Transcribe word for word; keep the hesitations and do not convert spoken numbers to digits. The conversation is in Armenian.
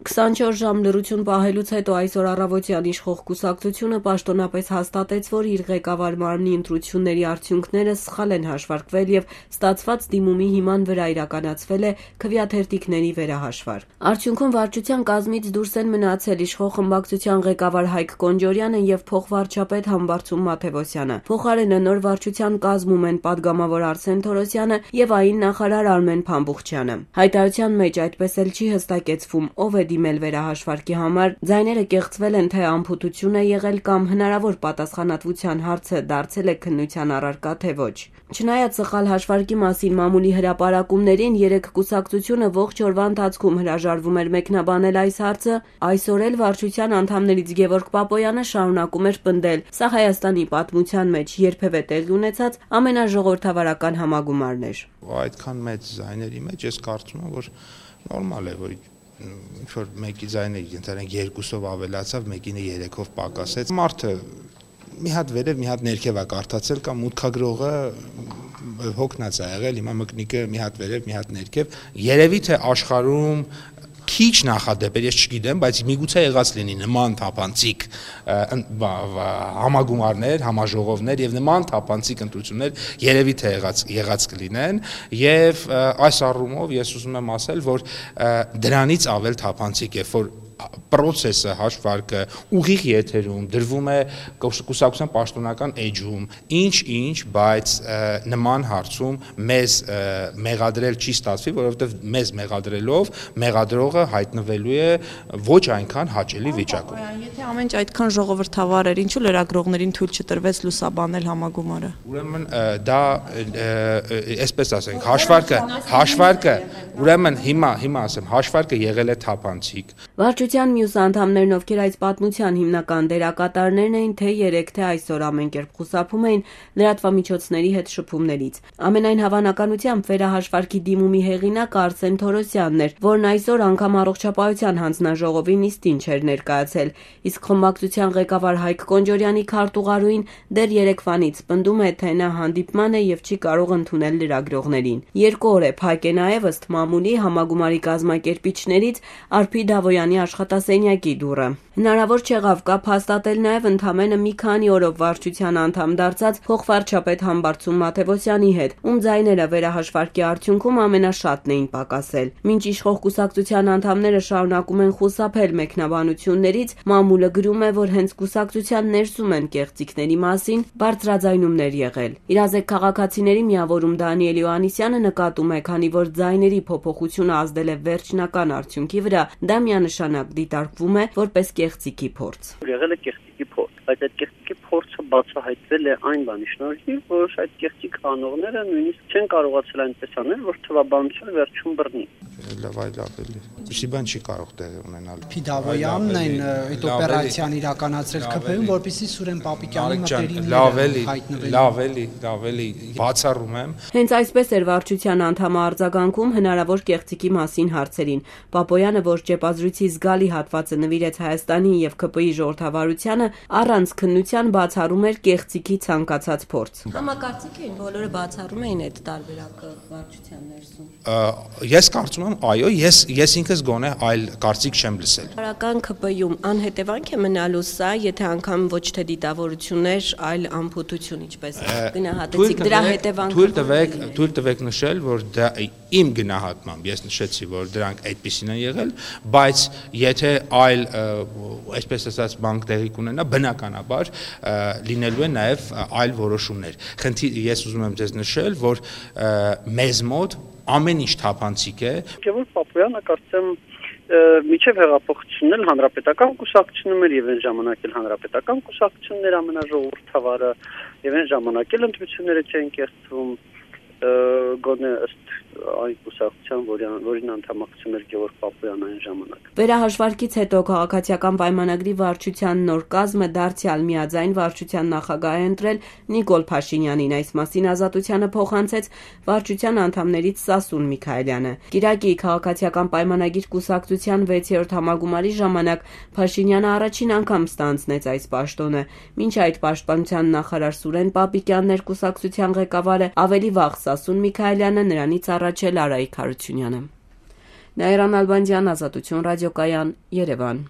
քսանչորս ժամ լռություն պահելուց հետո այսօր առավոտյան իշխող կուսակցությունը պաշտոնապես հաստատեց, որ իր ղեկավար մարմնի ընտրությունների արդյունքները սխալ են հաշվարկվել եւ ստացված դիմումի հիման վրա իրականացվել է քվեաթերթիկների վերահաշվար։ Արդյունքում վարչության կազմից դուրս են մնացել իշխող խմբակցության ղեկավար Հայկ Կոնջորյանը եւ փոխվարչապետ Համբարձում Մաթեւոսյանը։ Փոխարենը նոր վարչության կազմում են падգամավոր Արսեն Թորոսյանը եւ ային նախարար Արմեն Փամբուխչյանը։ Հայտարարության մեջ այդպես էլ չի հստակեցվում, ով է դիմել վերահաշվարկի համար, ձայները կեղծվել են, թե անփութություն է եղել կամ հնարավոր պատասխանատվության հարցը դարձել է քննության առարկա, թե ոչ։ Չնայած սխալ հաշվարկի մասին մամուլի հրապարակումներին, երեք կուսակցությունը ողջ օրվա ընթացքում հրաժարվում էր մեկնաբանել այս հարցը, այսօր էլ վարչության անդամներից Գևորգ Պապոյանը շարունակում էր պնդել, սա Հայաստանի պատմության մեջ երբևէ տեղի ունեցած ամենաժողովրդավարական համագումարն էր։ Այդքան մեծ ձայների մեջ ես կարծում եմ, որ նորմալ է, որ ինչ-որ մեկի ձայնը ընդհանրեն երկուսով ավելացավ, մեկինը երեքով պակասեց։ Մարդը մի հատ վերև, մի հատ ներքև է կարդացել կամ մուտքագրողը հոգնած է եղել, հիմա մկնիկը մի հատ վերև, մի հատ ներքև։ Երևի թե աշխարհում քիչ նախադեպեր, ես չգիտեմ, բայց միգուցե եղած լինի նման թափանցիկ համագումարներ, համաժողովներ եւ նման թափանցիկ ընտրություններ երևի թե եղած եղած կլինեն եւ այս առումով ես ուզում եմ ասել, որ դրանից ավել թափանցիկ է, որ process-ը հաշվարկը ուղիղ եթերում դրվում է կուսակցության պաշտոնական էջում, ինչ-ինչ, բայց նման հարցում մեզ մեղադրել չի ստացվի, որովհետև մեզ մեղադրելով մեղադրողը հայտնվելու է ոչ այնքան հաճելի վիճակում։ Եթե ամեն ինչ այդքան ժողովրդավար էր, ինչու լրագրողներին թույլ չտրվեց լուսաբանել համագումարը։ Ուրեմն դա այսպես ասենք, հաշվարկը, հաշվարկը, ուրեմն հիմա, հիմա ասեմ, հաշվարկը եղել է թափանցիկ։ Վարչության մյուս անդամներն, ովքեր այս պատմության հիմնական դերակատարներն էին, թե երեք, թե այսօր ամեն կերպ խուսափում էին լրատվամիջոցների հետ շփումներից։ Ամենայն հավանականությամբ վերահաշվարկի դիմումի հեղինակը Արսեն Թորոսյանն էր, որն այսօր անգամ առողջապահության հանձնաժողովի նիստին չէր ներկայացել, իսկ խմբակցության ղեկավար Հայկ Կոնջորյանի քարտուղարուին դեռ երեկվանից պնդում է, թե նա հանդիպման է եւ չի կարող ընդունել լրագրողներին։ Երկու օր է փակ է նաեւ ըստ մամուլի համագումարի կազմակերպիչներից Արփի Դավոյանի աշխատասենյակի դուռը։ Հնարավոր չեղավ կապ հաստատել նաև ընդամենը մի քանի օրով վարչության անդամ դարձած փոխվարչապետ Համբարձում Մաթեւոսյանի հետ, ում ձայները վերահաշվարկի արդյունքում ամենաշատն էին պակասել։ Մինչ իշխող կուսակցության անդամները շարունակում են խուսափել մեկնաբանություններից, մամուլը գրում է, որ հենց կուսակցության ներսում են կեղծիքների մասին բարձրաձայնումներ եղել։ Իրազեկ քաղաքացիների միավորում Դանիել Յոհաննիսյանը նկատում է, քանի որ ձայների փոփոխությունը ազդել է վերջնական արդյունքի վրա, դա միանշանակ դիտարկվում է որպես կեղծիքի փորձ։ Եղել է կեղծիքի փորձ, բայց այդ կեղծիքի փորձը բացահայտվել է այն բանի շնորհիվ, որ այդ կեղծիք անողները նույնիսկ չեն կարողացել այնպես անել, որ թվաբանությունը վերջում բռնի։ Լավ, այլ ավելի։ Ինչի բան չի կարող տեղի ունենալ։ Փիդավոյանն այն այդ օպերացիան իրականացրել ՔՓ-ում, որպեսզի Սուրեն Պապիկյանի մտերիմները լավ էլի, լավ էլի, լավ էլի, բացառում եմ։ Հենց այսպես էր վարչության անդամը արձագանքում հնարավոր կեղծիքի մասին հարցերին։ Պապոյանը, որ ճեպազրույցի զգալի հատվածը նվիրեց Հայաստանի եւ ՔՊ-ի ժողովրդավարությանը, առանց քննության բացառում էր կեղծիքի ցանկացած փորձ։ Համակարծիք էին, բոլորը բացառում էին այդ տարբերակը վարչության ներսում։ Ես կարծում եմ, այո, ես ես ինքս գոնե այլ կարծիք չեմ լսել։ Բարական ՔՊ-ում անհետևանք է մնալու սա, եթե անգամ ոչ թե դիտավորություններ, այլ անփութություն, ինչպես գնահատեցիք, դրա հետևանքը։ Թույլ տվեք, թույլ տվեք նշել, որ դա իմ գնահատմամբ ես նշեցի, որ դրանք այդպեսին են եղել, բայց եթե այլ, այսպես ասած, բան տեղի կունենա, բնականաբար լինելու է նաև այլ որոշումներ։ Խնդիր ես ուզում եմ ձեզ նշել, որ մեզ մոտ ամեն ինչ թափանցիկ է։ Գևորգ Պապոյանը կարծեմ միջև հեղափոխությունն էլ հանրապետական կուսակցությունում էր եւ այն ժամանակ էլ հանրապետական կուսակցությունն էր ամենաժողովրդավարը եւ այն ժամանակ էլ ընտրությունները չեն կեղծվում գոնե ըստ այն կուսակցության, որին անդամակցում էր Գևորգ Պապոյանը այն ժամանակ։ Վերահաշվարկից հետո քաղաքացիական պայմանագրի վարչության նոր կազմը դարձյալ միաձայն վարչության նախագահ է ընտրել Նիկոլ Փաշինյանին, այս մասին Ազատությանը փոխանցեց վարչության անդամներից Սասուն Միքայելյանը։ Կիրակի քաղաքացիական պայմանագիր կուսակցության վեցերորդ համագումարի ժամանակ Փաշինյանը առաջին անգամ ստանձնեց այս պաշտոնը։ Մինչ այդ պաշտպանության նախարար Սուրեն Պապիկյանն էր կուսակցության ղեկավարը, ավելի վաղ Սասուն Միքայելյանը, նրանից առաջ էլ Արայիկ Հարությունյանը։ Նաիրան Ալբանդյան, Ազատություն ռադիոկայան, Երևան։